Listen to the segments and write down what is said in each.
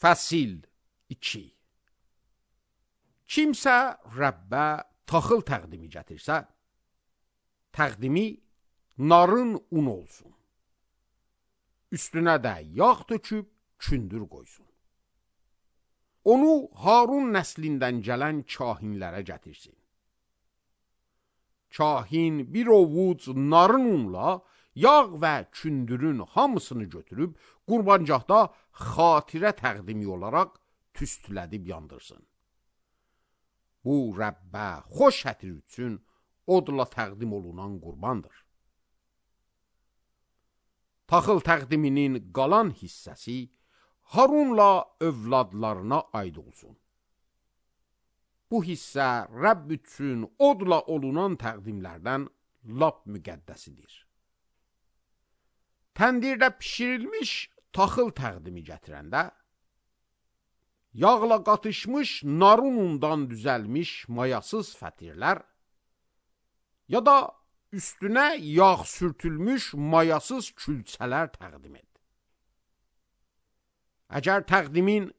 Fəsil 2. Kimsə Rəbbə taxıl təqdimi gətirsə, təqdimi narın un olsun. Üstünə də yağ töküb kündür qoysun. Onu Harun nəslindən gələn kahinlərə gətirsin. Kahin bir ovuc narın unla yağ və kündürün hamısını götürüb qurbancaqda xatirə təqdimi olaraq tüstülədib yandırsın. Bu Rəbbə xoş hətir üçün odla təqdim olunan qurbandır. Taxıl təqdiminin qalan hissəsi Harunla övladlarına aid olsun. Bu hissə Rəbb üçün odla olunan təqdimlərdən lap müqəddəsidir. Təndirdə pişirilmiş taxıl təqdimi gətirəndə, yağla qatışmış narın undan düzəlmiş mayasız fətirlər, ya da üstünə yağ sürtülmüş mayasız külçələr təqdim et. Əgər təqdimin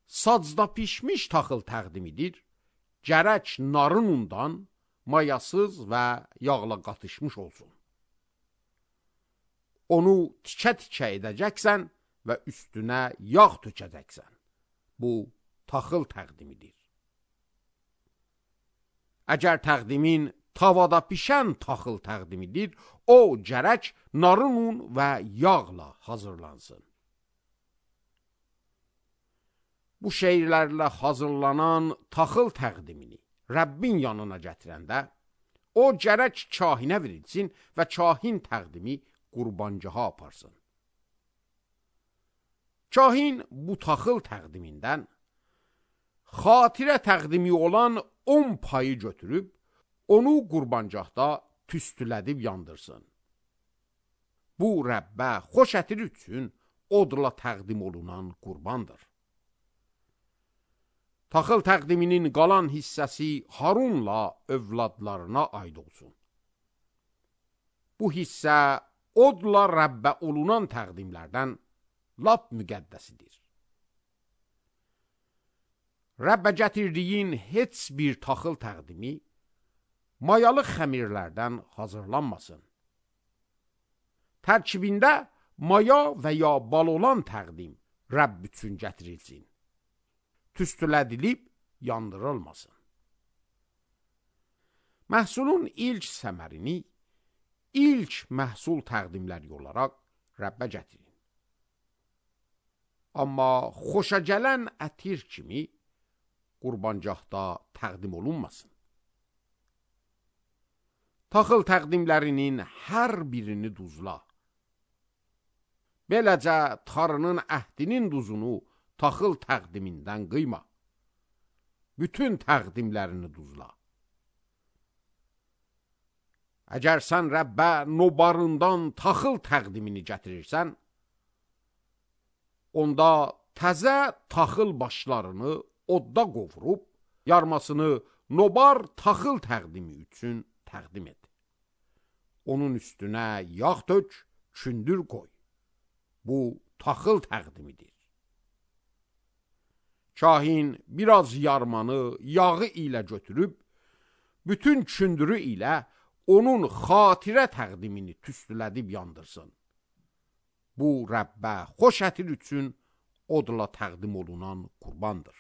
sacda pişmiş taxıl təqdimidir, gərək narın undan mayasız və yağla qatışmış olsun. Onu tikə-tikə edəcəksən və üstünə yağ tökəcəksən. Bu taxıl təqdimidir. Əgər təqdimin tavada pişən taxıl təqdimidir, o gərək narın un və yağla hazırlansın. Bu şeylərlə hazırlanan taxıl təqdimini Rəbbin yanına gətirəndə, o gərək kahinə verilsin və kahin təqdimi qurbancaha aparsın. Kahin bu taxıl təqdimindən xatirə təqdimi olan 10 payı götürüb, onu qurbancaqda tüstülədib yandırsın. Bu Rəbbə xoş ətir üçün odla təqdim olunan qurbandır. Taxıl təqdiminin qalan hissəsi Harunla övladlarına aid olsun. Bu hissə odla Rəbbə olunan təqdimlərdən lap müqəddəsidir. Rəbbə gətirdiyin heç bir taxıl təqdimi mayalı xəmirlərdən hazırlanmasın. Tərkibində maya və ya bal olan təqdim Rəbb üçün gətirilsin. Tüstülədilib yandırılmasın. Məhsulun ilk səmərini ilk məhsul təqdimləri olaraq Rəbbə gətirin. Amma xoşa gələn ətir kimi qurbancaqda təqdim olunmasın. Taxıl təqdimlərinin hər birini duzla. Beləcə tarının əhdinin duzunu taxıl təqdimindən qıyma. Bütün təqdimlərini duzla. Əgər sən Rəbbə nobarından taxıl təqdimini gətirirsən, onda təzə taxıl başlarını odda qovurub, yarmasını nobar taxıl təqdimi üçün təqdim et. Onun üstünə yağ tök, kündür qoy. Bu taxıl təqdimidir. Kahin biraz yarmanı yağı ilə götürüb, bütün kündürü ilə onun xatirə təqdimini tüstülədib yandırsın. Bu Rəbbə xoş ətir üçün odla təqdim olunan qurbandır.